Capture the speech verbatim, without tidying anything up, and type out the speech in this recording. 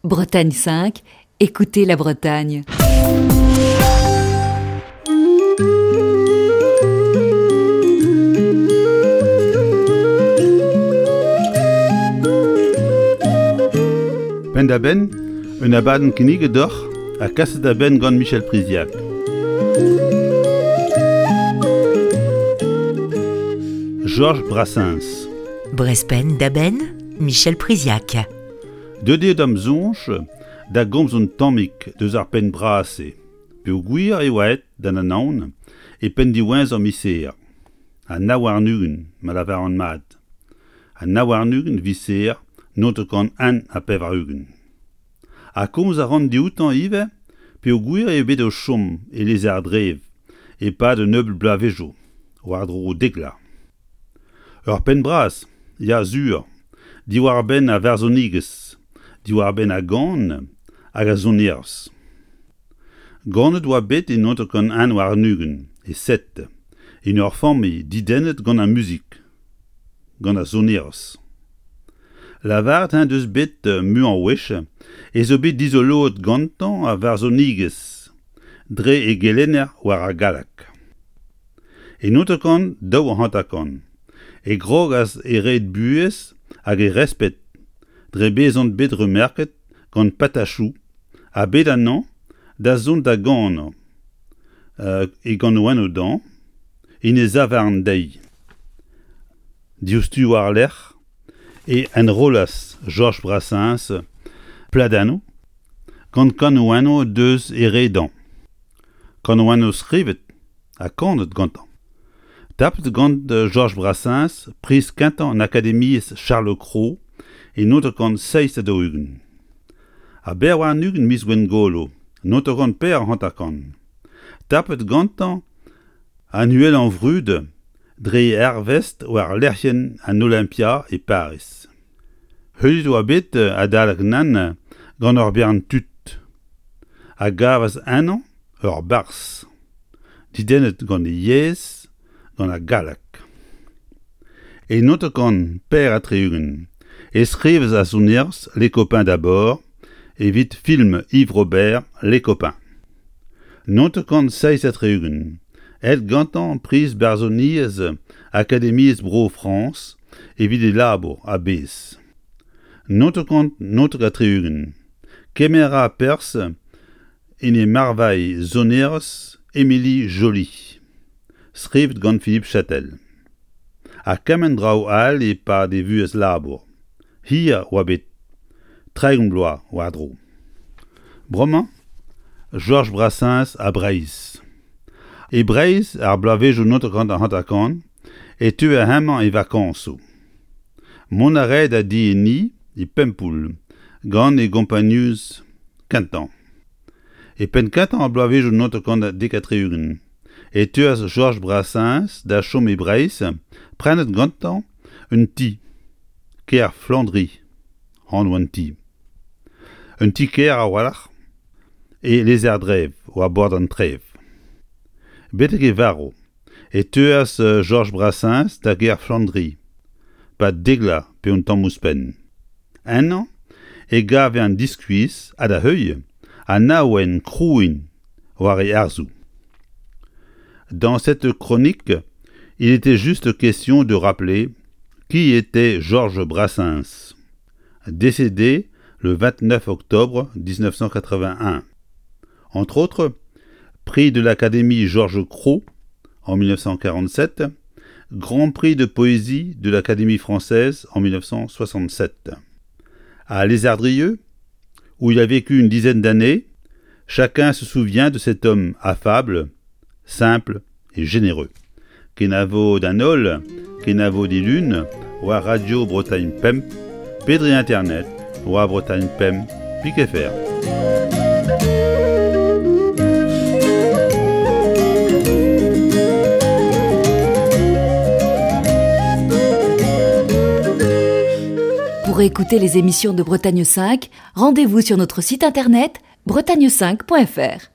Bretagne cinq, écoutez la Bretagne. Penn-da-benn, un abadenn kinniget deoc'h ha kaset da benn gant Michel Priziac. Georges Brassens. Brezh Penn-da-benn, Michel Priziac. Deuet eo d'am soñj da gomz un tammig deus ar penn bras-se, peogwir e oa aet d'an Anaon e penn diwezhañ miz Here, ha nav warn-ugent ma lavaran mat, ha nav warn-ugent viz Here naontek kant un ha pevar-ugent. Ha komz a ran dioutañ ivez peogwir eo bet o chom e Lezardrev e-pad un nebeud bloavezhioù, war-dro dek vloaz. Ur penn bras, ya sur, diwar-benn ar varzhonigezh, diwar-benn ar gan hag ar sonerezh. Ganet oa bet e naontek kant un warn-ugent e Sète, en ur familh dedennet gant ar muzik, gant ar sonerezh. Lavaret en deus bet muiañ wech ez eo bet dizoloet gantañ ar varzhonigezh dre e gelenner war ar galleg. E naontek kant daou hanter-kant e krogas e red buhez hag e respet dre bezañ bet remerket gant Patachou ha bet anezhañ da zont da ganañ e ganaouennoù dezhañ en e zavarn deiz. Diouzhtu war-lerc'h e enrollas Georges Brassens pladennoù gant kanaouennoù deus e re dezhañ. Kanaouennoù skrivet ha kanet gantañ. Tapet gant Georges Brassens priz kentañ an Akademiezh Charles Cros e naontek kant seizh ha daou-ugent. Ha berr warn-ugent miz Gwengolo, naontek kant pevar hanter-kant. Tapet gantañ an uhelañ vrud dre e arvest war lec'hienn an Olympia e Pariz. Heuliet oa bet adalek nann gant ur bern tud a gavas ennañ ur barzh, dedennet gant e yezh, gant ar galleg. E naontek kant pevar ha tri-ugent e skrivas ar sonerezh Les Copains d'abord evit film Yves Robert Les Copains. Naontek kant seizh ha tri-ugent aet gantañ priz barzhoniezh Akademiezh Bro-Frañs evit e labour a-bezh. Naontek kant naontek ha tri-ugent kemer a ra perzh en e marvailh sonerezh Émilie Joly, skrivet gant Philippe Chatel. Ha kement draoù all e-pad e vuhez labour. Hir oa bet, tregont bloaz war-dro. Bremañ, Georges Brassens ha Breizh. E Breizh, ar bloavezhioù naontek kant hanter-kant, e teue hemañ e vakañsoù. Mont a rae da di e ni e Pempoull gant e gompagnunezh kentañ. E penn-kentañ ar bloavezhioù naontek kant dek ha tri-ugent e teuas Georges Brassens da chom e Breizh, prenet gantañ un ti, kêr Flandri, anv an ti. Un ti-kêr a-walc'h e Lezardrev war bord an Trev. Betek e varv e teuas Georges Brassens da gêr Flandri, pa dek vloaz pe un tamm ouzhpenn. Ennañ e gave an diskuizh ha da heuilh an awen krouiñ war e arzoù. Dans cette chronique, il était juste question de rappeler qui était Georges Brassens, décédé le vingt-neuf octobre dix-neuf cent quatre-vingt-un. Entre autres, prix de l'Académie Georges Cros en mille neuf cent quarante-sept, Grand prix de poésie de l'Académie française en mille neuf cent soixante-sept. À Lézardrieux, où il a vécu une dizaine d'années, chacun se souvient de cet homme affable, simple et généreux. Kenavo d'an holl, kenavo dilun, war Radio Bretagne Pemp, pe dre Internet, war Bretagne Pemp, pik F R. Pour écouter les émissions de Bretagne cinq, rendez-vous sur notre site internet bretagne cinq point F R.